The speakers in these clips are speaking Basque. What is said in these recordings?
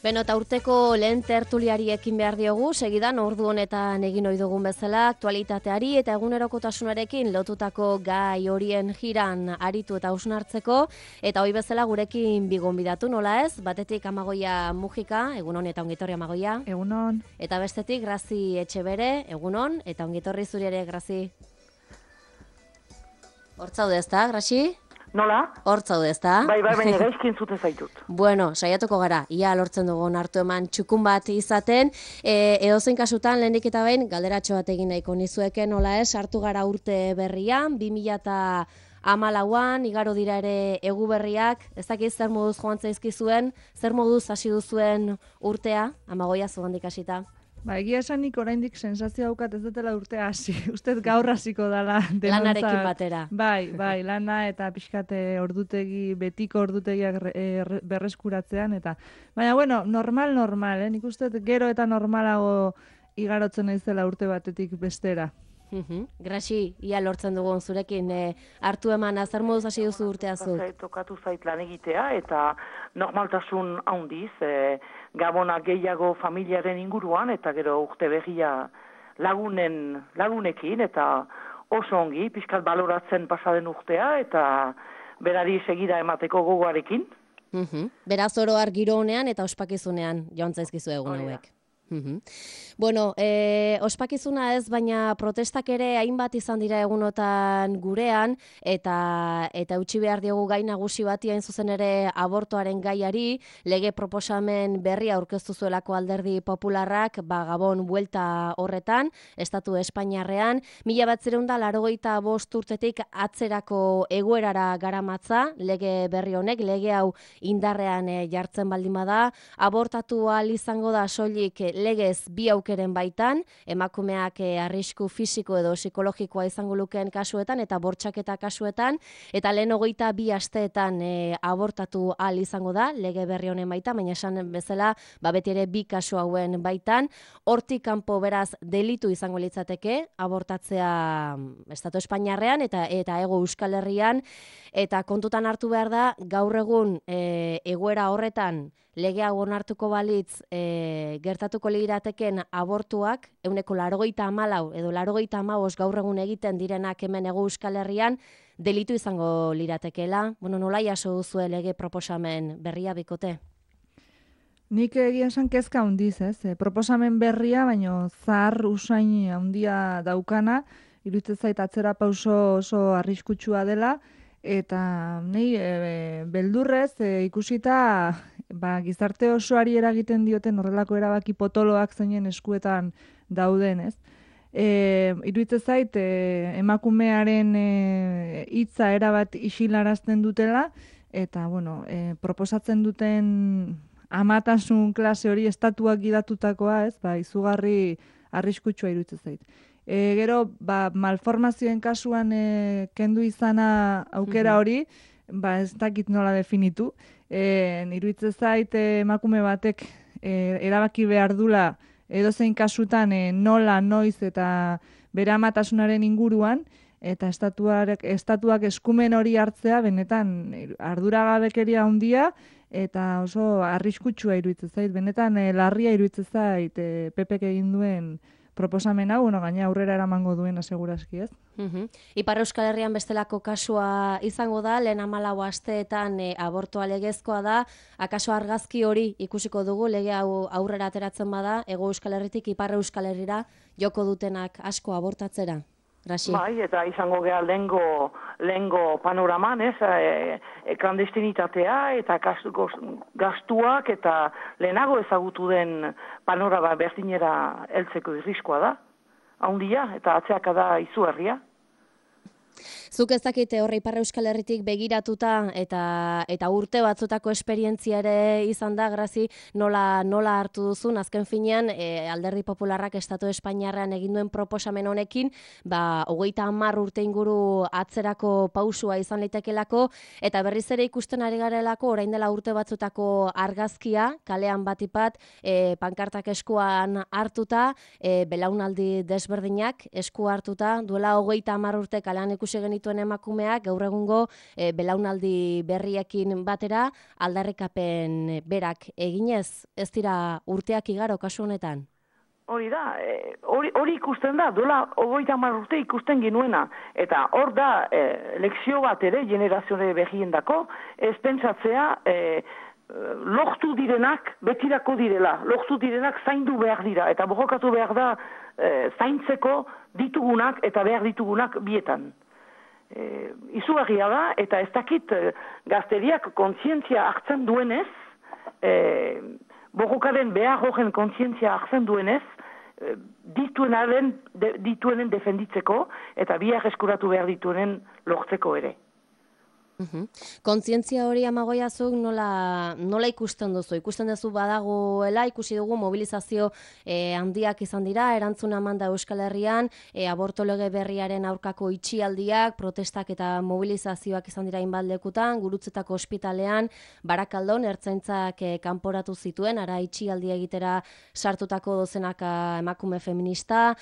Beno, eta urteko lehen tertuliari ekin behar diogu, segidan ordu honetan egin ohi dugun bezala, aktualitateari eta egunerokotasunarekin lotutako gai horien jiran aritu eta hausnartzeko, eta hoi bezala gurekin bigonbidatu, nola ez? Batetik Amagoia Mujika, egunon eta ongitorri Amagoia. Egunon. Eta bestetik Grazi Etxebere, egunon, eta ongitorri zuri ere, Grazi. Hortzaude ezta, Grazi? Nola? Hortzaude ezta? Bai, baina gaizkin zuten zaitut. Bueno, saiatuko gara, ia lortzen dugun hartu eman txukun bat izaten, edozein kasutan lehenik eta behin galderatxo bat egin nahiko nizueke, nola ez, hartu gara urte berrian, 2014an, igaro dira ere egu berriak, ez dakiz zer moduz joan zaizkizuen, zer moduz hasi duzuen urtea, Amagoia zugandik hasita. Ba, egia esanik oraindik sensazio daukat ez dutela urtea hasi. Ustez gaur hasiko dala denontzat. Lanarekin batera. Bai, lana eta pixkate ordutegi, betiko ordutegiak berreskuratzean eta baina bueno, normal, nik uste gero eta normalago igarotzen naizela urte batetik bestera. Grazi, ia lortzen dugun zurekin hartu eman zer moduz hasi duzu urtea zu? Tokatu zait lan egitea eta normaltasun handiz, gabona gehiago familiaren inguruan eta gero urte berria lagunekin eta oso ongi, pixkat baloratzen pasaden urtea eta berari segida emateko gogoarekin. Beraz oro giro honean eta ospakizunean joan zaizkizu egun hauek. Bueno, ospakizuna ez, baina protestak ere hainbat izan dira egunotan gurean, eta utzi behar diogu gai nagusi bati hain zuzen ere abortoaren gaiari, lege proposamen berria aurkeztu zuelako Alderdi Popularrak, Gabon buelta horretan, Estatu Espainiarrean, 1985 urtetik atzerako egoerara garamatza, lege berri honek, lege hau indarrean jartzen baldin bada, abortatu ahal izango da soilik legez bi aukeren baitan, emakumeak arrisku fisiko edo psikologikoa izango lukeen kasuetan eta bortxaketa kasuetan, eta lehen 22 asteetan abortatu ahal izango da, lege berri honen baitan, baina esan bezala, beti ere bi kasu hauen baitan, hortik kanpo beraz delitu izango litzateke, abortatzea Estatu Espainiarrean eta Hego Euskal Herrian, eta kontutan hartu behar da, gaur egun egoera horretan, lege hau onartuko balitz gertatuko lirateken abortuak, 94 edo 95 gaur egun egiten direnak hemen Hego Euskal Herrian, delitu izango liratekeela. Bueno, nola jaso duzue lege proposamen berria bikote? Nik egia esan kezka handiz, ez? Proposamen berria, baino zahar usain handia daukana, iruditzen zait atzera pauso oso arriskutsua dela, eta nei beldurrez ikusita gizarte osoari eragiten dioten horrelako erabaki potoloak zeinen eskuetan dauden, ez? Iruditzen zait emakumearen hitza erabat isilarazten dutela eta bueno, proposatzen duten amatasun klase hori estatuak gidatutakoa, ez? Izugarri arriskutsua iruditzen zait. Gero, malformazioen kasuan kendu izana aukera hori, ez dakit nola definitu. Iruditzen zait emakume batek erabaki behar dula edozein kasutan nola, noiz eta bere amatasunaren inguruan, eta estatuak eskumen hori hartzea benetan arduragabekeria handia eta oso arriskutsua iruditzen zait. Benetan larria iruditzen zait PPk egin duen proposamen hau, gaina aurrera eramango duena segurazki, ez? Ipar Euskal Herrian bestelako kasua izango da, lehen 14 asteetan abortoa legezkoa da, akaso argazki hori ikusiko dugu, lege hau aurrera ateratzen bada, Hego Euskal Herritik Ipar Euskal Herrira joko dutenak asko abortatzera? Grazi. Bai, eta izango geha lehengo panoraman, ez, klandestinitatea eta gastuak eta lehenago ezagutu den panorama berdinera heltzeko irriskoa da, handia eta atzeaka da izugarria. Zuk ez dakite horre Ipar Euskal Herritik begiratuta eta urte batzutako esperientzia ere izan da, Grazi, nola hartu duzun, azken finean, Alderdi Popularrak Estatu Espainiarrean egin duen proposamen honekin, 30 urte inguru atzerako pausua izan litekelako, eta berriz ere ikusten ari garelako, orain dela urte batzutako argazkia, kalean batipat, pankartak eskuan hartuta, belaunaldi desberdinak esku hartuta, duela 30 urte kalean ikusi ikusi genituen emakumeak gaur egungo belaunaldi berriekin batera aldarrikapen berak eginez, ez dira urteak igaro kasu honetan? Hori da, hori ikusten da, duela 30 urte ikusten genuena. Eta hor da, lekzio bat ere, generazioare behiendako, ez pentsatzea, lortu direnak betirako direla, lortu direnak zaindu behar dira, eta borrokatu behar da zaintzeko ditugunak eta behar ditugunak bietan. Izugarria da, eta ez dakit gazteriak kontzientzia hartzen duenez, borrokaren behar horren kontzientzia hartzen duenez, dituenen defenditzeko eta biak eskuratu behar dituenen lortzeko ere. Kontzientzia hori Amagoiazuk nola ikusten duzu? Ikusten duzu badagoela, ikusi dugu mobilizazio handiak izan dira, erantzuna eman da Euskal Herrian, aborto lege berriaren aurkako itxialdiak, protestak eta mobilizazioak izan dira hainbat lekutan, Gurutzetako ospitalean, Barakaldon ertzaintzak kanporatu zituen, ara itxialdia egitera sartutako dozenaka emakume feminista,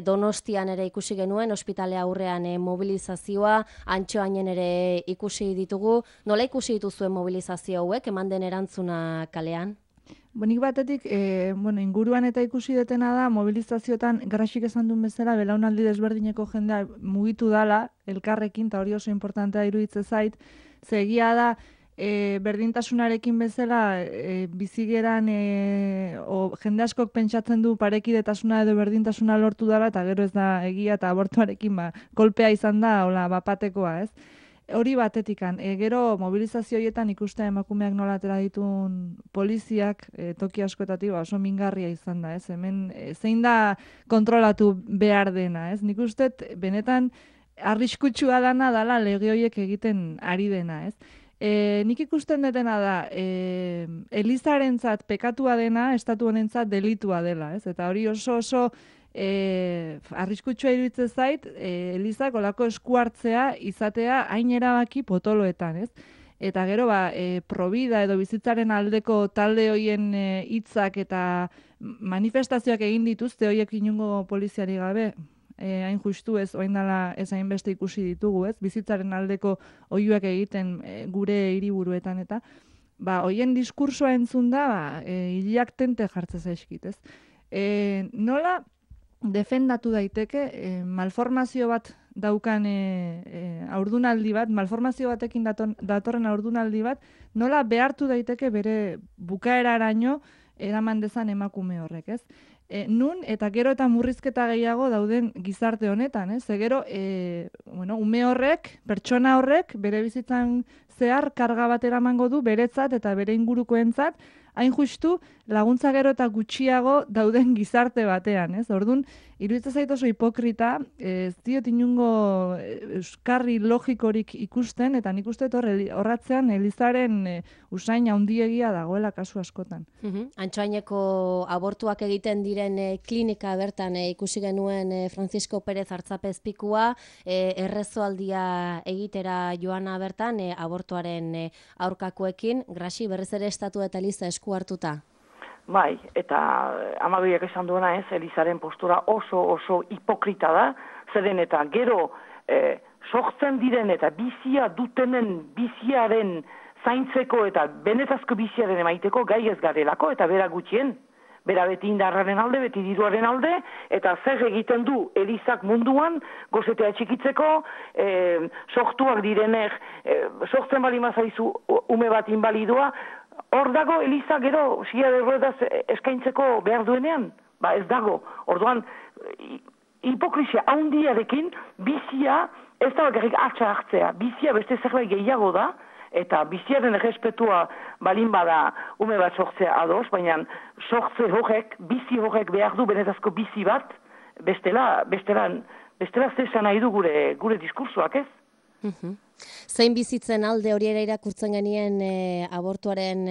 Donostian ere ikusi genuen, ospitale aurrean mobilizazioa, Antxoainen ere ikusi ditugu. Nola ikusi dituzuen mobilizazio hauek, eman den erantzuna kalean? Nik batetik, inguruan eta ikusi detena da, mobilizazioetan, Graxik esan duen bezala, belaunaldi desberdineko jendea mugitu dala, elkarrekin, eta hori oso importantea iruditze zait, zegia da, berdintasunarekin bezala, bizigeran, jende askok pentsatzen du parekidetasuna edo berdintasuna lortu dala, eta gero ez da egia, eta abortuarekin kolpea izan da, bapatekoa, ez? Hori batetikan, gero mobilizazio horietan ikusten emakumeak nola atera ditun poliziak toki askoetatik oso mingarria izan da, ez? Hemen zein da kontrolatu behar dena, ez? Nik uste benetan arriskutsua dala lege horiek egiten ari dena, ez? Nik ikusten detena da, Elizarentzat pekatua dena, estatu honentzat delitua dela, ez? Eta hori oso arriskutsua iruditzen zait, Elizak olako eskuartzea izatea hain erabaki potoloetan, ez? Eta gero, Provida edo bizitzaren aldeko talde hoien hitzak eta manifestazioak egin dituzte hoiek inungo poliziari gabe, hain justu ez, oain dela ez hainbeste ikusi ditugu, ez? Bizitzaren aldeko oihuak egiten gure hiriburuetan eta, hoien diskursoa entzun da, hilak tente jartzez zaizkit, ez? Nola defendatu daiteke malformazio bat daukan haurdunaldi bat, malformazio batekin datorren haurdunaldi bat, nola behartu daiteke bere bukaeraraino eraman dezan emakume horrek, ez? Nun eta gero eta murrizketa gehiago dauden gizarte honetan, ez? Gero, ume horrek, pertsona horrek, bere bizitzan zehar karga bat eramango du beretzat eta bere ingurukoentzat, hain justu laguntza gero eta gutxiago dauden gizarte batean, ez? Orduan, iruditzen zait oso hipokrita, ez diot inungo euskarri logikorik ikusten, eta nik uste horratzean Elizaren usain handiegia dagoela kasu askotan. Antxoaineko abortuak egiten diren klinika bertan ikusi genuen Francisco Pérez Artzapezpikua, errezoaldia egitera joana bertan abortuaren aurkakoekin, Graxi berriz ere estatu eta Eliza esku hartuta. Bai, eta Amagoiak esan duena ez, Elizaren postura oso hipokrita da, zeren eta gero sortzen diren eta bizia dutenen biziaren zaintzeko eta benetazko biziaren emaiteko gai ez garelako eta bera gutxien. Bera beti indarraren alde, beti diruaren alde, eta zer egiten du Elizak munduan, gozetea txikitzeko, sortuak direnek, sortzen bali mazaizu ume bat inbalidua, hor dago Eliza gero silla de ruedas eskaintzeko behar duenean? Ez dago. Orduan, hipokrizia handiarekin bizia ez da bakarrik atxa hartzea. Bizia beste zerbait gehiago da, eta biziaren errespetua balin bada ume bat sortzea ados, baina sortze horrek, bizi horrek behar du benetazko bizi bat, bestela zesan nahi du gure diskursoak, ez? Zein bizitzen alde hori ere irakurtzen genien abortuaren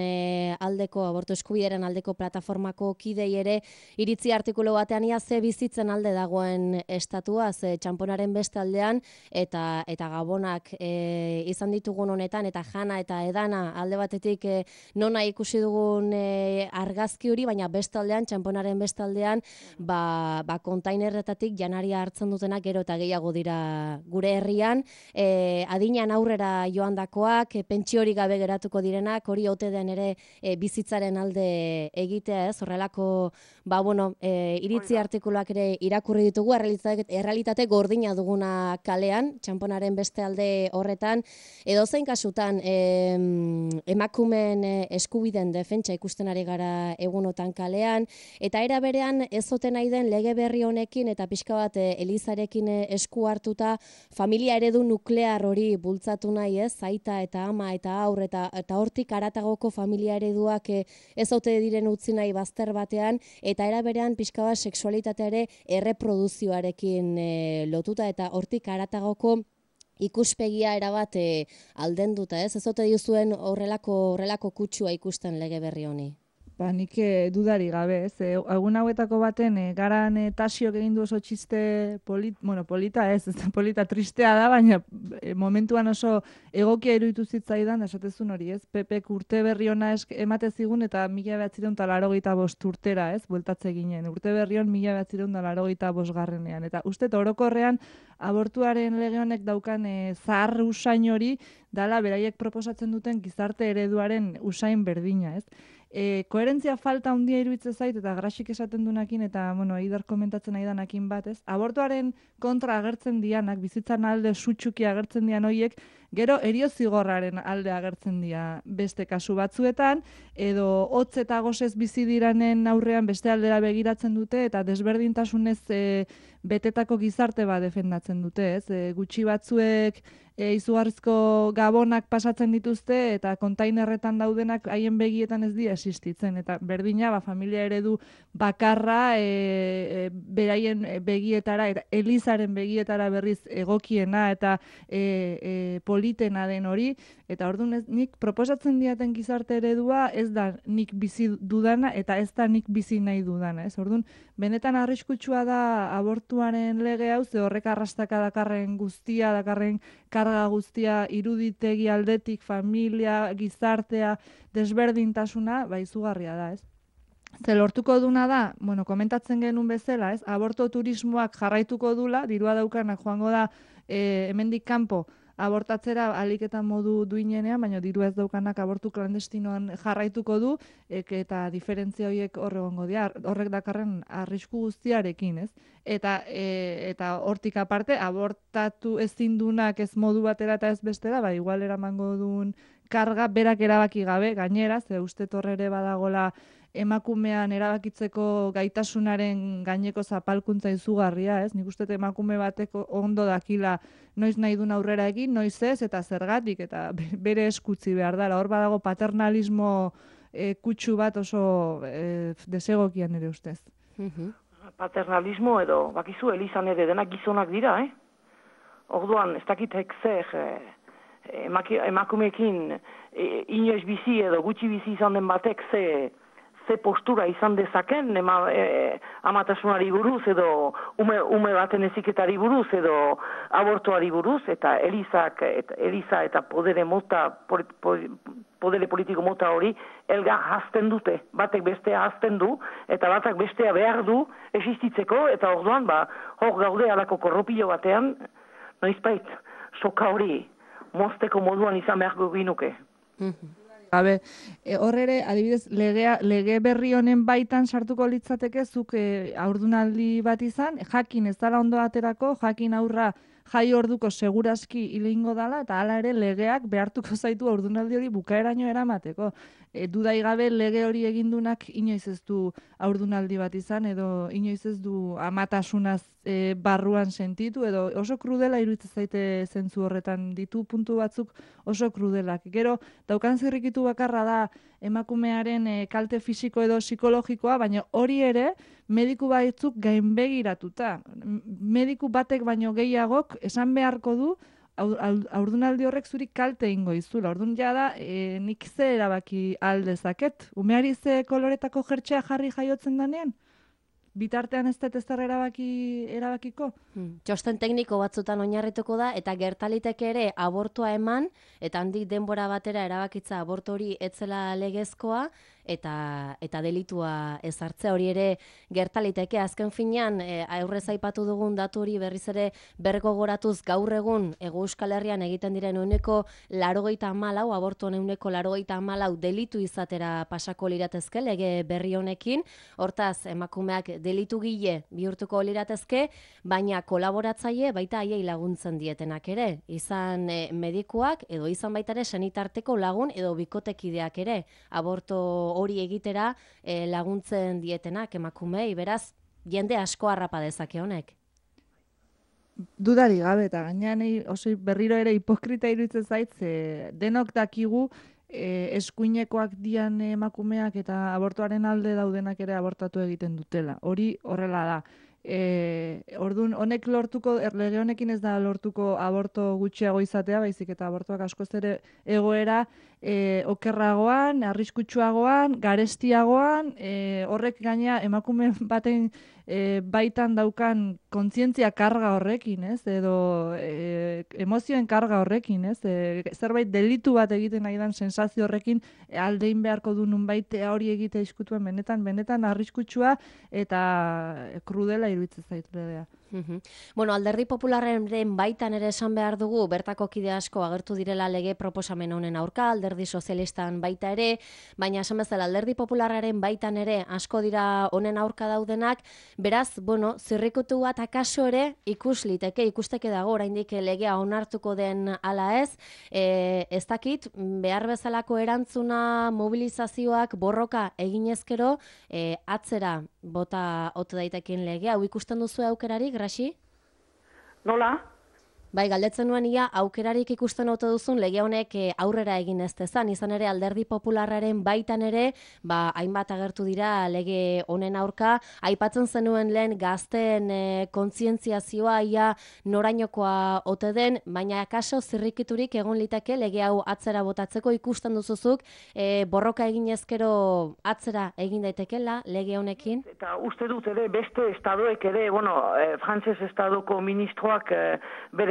aldeko, abortu eskubideren aldeko plataformako kidei ere iritzi artikulu batean ia ze bizitzen alde dagoen estatua, ze txanponaren beste aldean eta gabonak izan ditugun honetan eta jana eta edana alde batetik nona ikusi dugun argazki hori, baina beste aldean, txanponaren beste aldean, kontainerretatik janaria hartzen dutenak gero eta gehiago dira gure herrian, adina aurrera joandakoak, pentsiori gabe geratuko direnak, hori ote den ere bizitzaren alde egitea, ez? Horrelako, iritzi artikuluak ere irakurri ditugu, errealitate gordina duguna kalean, txanponaren beste alde horretan, edozein kasutan emakumeen eskubiden defentsa ikusten ari gara egunotan kalean, eta era berean ez ote nahi den lege berri honekin eta pixka bat Elizarekin esku hartuta familia eredu nuklear hori bultzatu nahi, ez? Aita eta ama eta aur eta hortik haratagoko familia ereduak ez ote diren utzi nahi bazter batean, eta era berean pixka bat sexualitatea ere erreproduzioarekin lotuta eta hortik haratagoko ikuspegia erabat aldenduta, ez? Ez ote diuzuen horrelako kutsua ikusten lege berri honi? Nik dudari gabe, ez? Egun hauetako baten, garan Tasiok egin du oso txiste polita, ez da polita tristea da, baina momentuan oso egokia iruditu zitzaidan, esatezun hori, ez? Pepek urte berri ona emate zigun eta 1985 urtera, ez? Bueltatze ginen. Urte berri hon 1985 eta uste orokorrean abortuaren lege honek daukan zahar usain hori dala beraiek proposatzen duten gizarte ereduaren usain berdina, ez? Koherentzia falta handia iruditzen zait eta Grasik esaten dunakin eta Eider komentatzen nahi danakin bat, ez? Abortuaren kontra agertzen dianak, bizitzan alde sutsuki agertzen dian hoiek, gero eriozigorraren alde agertzen dira beste kasu batzuetan, edo hotz eta gosez bizi diranen aurrean beste aldera begiratzen dute eta desberdintasunez betetako gizarte bat defendatzen dute, ez? Gutxi batzuek izugarrizko gabonak pasatzen dituzte eta kontainerretan daudenak haien begietan ez dira existitzen. Eta berdina, familia eredu bakarra beraien begietara, eta Elizaren begietara berriz egokiena eta politena den hori. Eta orduan nik proposatzen diaten gizarte eredua ez da nik bizi dudana eta ez da nik bizi nahi dudana. Orduan, benetan arriskutsua da abortuaren lege hau, ze horrek arrastaka dakarren guztia, dakarren karga guztia iruditegi aldetik, familia, gizartea, desberdintasuna, izugarria da, ez? Ze lortuko duna da, komentatzen genuen bezala, ez? Aborto turismoak jarraituko dula, dirua daukanak joango da hemendik kanpo abortatzera aliketa modu duinenean, baina diru ez daukanak abortu klandestinoan jarraituko du, eta diferentzia horiek horregongo dira, horrek dakarren arrisku guztiarekin, ez? Eta hortik aparte, abortatu ezin dunak ez modu batera eta ez bestera, igual eramango duen karga berak erabaki gabe, gainera, ze uste torre ere badagola emakumean erabakitzeko gaitasunaren gaineko zapalkuntza izugarria, ez? Nik uste emakume bateko ondo dakila noiz nahi duen aurrera egin, noiz ez, eta zergatik, eta bere eskutzi behar dela. Hor badago paternalismo kutsu bat oso desegokian ere ustez. Paternalismo edo, bakizu, Elizan ere denak gizonak dira, Orduan, ez dakitek zer emakumeekin inoiz bizi edo gutxi bizi izan den batek ze postura izan dezaken amatasunari buruz edo ume baten heziketari buruz edo abortuari buruz, eta Eliza eta podere politiko mota hori elgar hazten dute. Batek bestea hazten du eta batak bestea behar du existitzeko, eta orduan hor gaude alako korropilo batean noizbait soka hori mozteko moduan izan beharko ginuke. Gabe, horre, adibidez, lege berri honen baitan sartuko litzateke zuk haurdunaldi bat izan, jakin ez dala ondo aterako, jakin aurra jai orduko segurazki hilingo dala, eta hala ere legeak behartuko zaitu haurdunaldi hori bukaeraino eramateko. Dudai gabe lege hori egindunak inoiz ez du haurdunaldi bat izan, edo inoiz ez du amatasunaz barruan sentitu, edo oso krudela iruditzen zaite zentzu horretan, ditu puntu batzuk oso krudelak. Gero, daukan zirrikitu bakarra da emakumearen kalte fisiko edo psikologikoa, baina hori ere mediku batzuk gainbegiratuta. Mediku batek baino gehiagok esan beharko du haurdunaldi horrek zuri kalte ingo izula. Orduan jada, nik ze erabaki aldezaket? Umeari ze koloretako jertxea jarri jaiotzen danean? Bitartean ez dut ezer erabakiko? Txosten tekniko batzutan oinarrituko da, eta gertaliteke ere abortua eman, eta handik denbora batera erabakitza abortu hori etzela legezkoa, eta delitua ezartzea hori ere gertaliteke. Azken finean, aurrez aipatu dugun datu hori berriz ere bergogoratuz gaur egun Hego Euskal Herrian egiten diren 84%, abortuen 84% delitu izatera pasako liratezke lege berri honekin. Hortaz, emakumeak delitu gile bihurtuko liratezke, baina kolaboratzaile baita haiei laguntzen dietenak ere. Izan medikuak edo izan baita ere senitarteko lagun edo bikotekideak ere. Aborto hori egitera laguntzen dietenak emakumei, beraz, jende asko harrapa dezake honek. Dudari gabe, eta gainean oso berriro ere hipokrita iruditzen zait, denok dakigu eskuinekoak dian emakumeak eta abortuaren alde daudenak ere abortatu egiten dutela. Hori horrela da. Orduan, honek lortuko, lege honekin ez da lortuko aborto gutxiago izatea, baizik eta abortuak askoz ere egoera okerragoan, arriskutsuagoan, garestiagoan, horrek gaina emakume baten baitan daukan kontzientzia karga horrekin, ez? Edo emozioen karga horrekin, ez? Zerbait delitu bat egiten nahi dan sensazio horrekin aldein beharko du nunbait hori egitea izkutuen benetan arriskutsua eta krudela iruditzen zait legea. Bueno, Alderdi Popularren baitan ere esan behar dugu, bertako kide asko agertu direla lege proposamen honen aurka, Alderdi Sozialistan baita ere, baina esan bezala Alderdi Popularraren baitan ere asko dira honen aurka daudenak, beraz, bueno, zirrikutu bat akaso ere ikusteke dago oraindik legea onartuko den ala ez, ez dakit, behar bezalako erantzuna, mobilizazioak, borroka eginezkero, atzera bota ote daitekin legea, hau ikusten duzu aukerarik, Grasi? Nola? Bai, galdetzen nuen ia aukerarik ikusten ote duzun lege honek aurrera egin ez dezan, izan ere Alderdi Popularraren baitan ere, hainbat agertu dira lege honen aurka, aipatzen zenuen lehen gazteen kontzientziazioa ia norainokoa ote den, baina akaso zirrikiturik egon liteke lege hau atzera botatzeko ikusten duzuzuk, borroka egin ezkero atzera egin daitekela lege honekin? Eta uste dut ere beste estadoek ere, frantses estadoko ministroak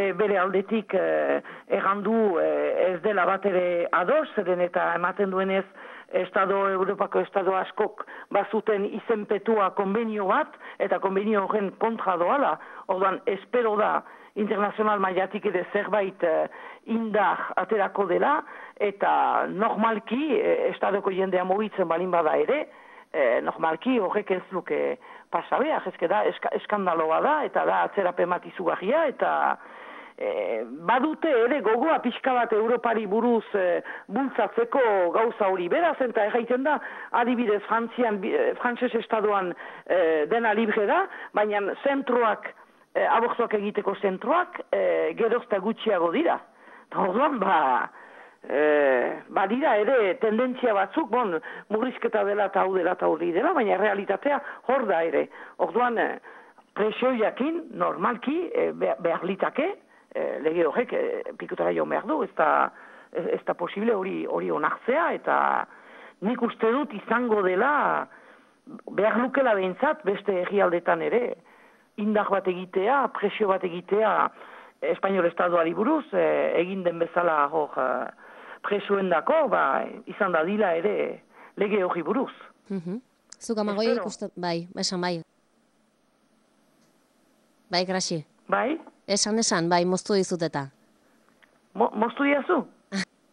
bere aldetik errandu ez dela bat ere ados, zeren eta ematen duenez Europako estado askok bazuten izenpetua konbenio bat, eta konbenio horren kontra doala. Orduan, espero da internazional mailatik ere zerbait indar aterako dela, eta normalki estadoko jendea mugitzen balin bada ere, normalki horrek ez luke pasabea, ezke da, eskandaloa da, eta da atzerapen bat izugarria, eta badute ere gogoa pixka bat Europari buruz bultzatzeko gauza hori beraz, eta erraiten da, adibidez frantses estadoan dena libre da, baina zentroak, abortuak egiteko zentroak, gerozta gutxiago dira. Orduan, badira ere tendentzia batzuk, murrizketa dela eta hau dela eta hori dela, baina realitatea hor da ere. Orduan, presioiakin, normalki, behar litake, lege horrek pikutara joan behar du, ez da posible hori onartzea, eta nik uste dut izango dela, behar lukela behintzat, beste herrialdetan ere, indar bat egitea, presio bat egitea, Espainiol Estadoari buruz, egin den bezala hor presioen dako, izan da dila ere lege hori buruz. Zuk amagoi ikusten, bai, esan bai. Bai, Grasi. Bai? Esan, bai, moztu dizut eta. Moztu diazu?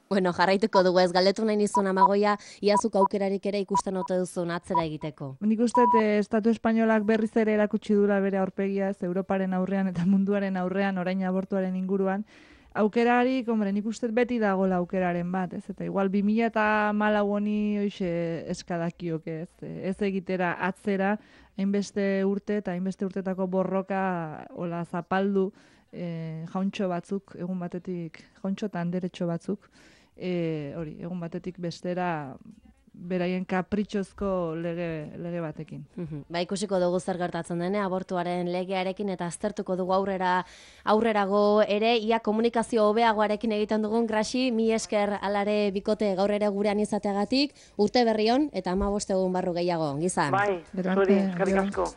Bueno, jarraituko dugu ez, galdetu nahi nizun Amagoia, iazuk aukerarik ere ikusten ote duzun atzera egiteko. Nik uste Estatu Espainolak berriz ere erakutsi dula bere aurpegia, ez Europaren aurrean eta munduaren aurrean, orain abortuaren inguruan. Aukerarik, nik uste beti dagoela aukeraren bat, ez? Eta igual 2014 honi hoxe eskadakiok, ez egitera atzera, hainbeste urte eta hainbeste urtetako borroka hola zapaldu jauntxo batzuk, egun batetik, jauntxo eta anderetxo batzuk, egun batetik bestera beraien kapritxozko lege batekin. Ba, ikusiko dugu zer gertatzen dene abortuaren legearekin eta aztertuko dugu aurrerago ere, ia komunikazio hobeagoarekin egiten dugun. Graxi, mi esker alare bikote gaur ere gurean izateagatik, urte berri on eta 15 egun barru gehiago, gizan. Bai, zuri, eskerrik asko.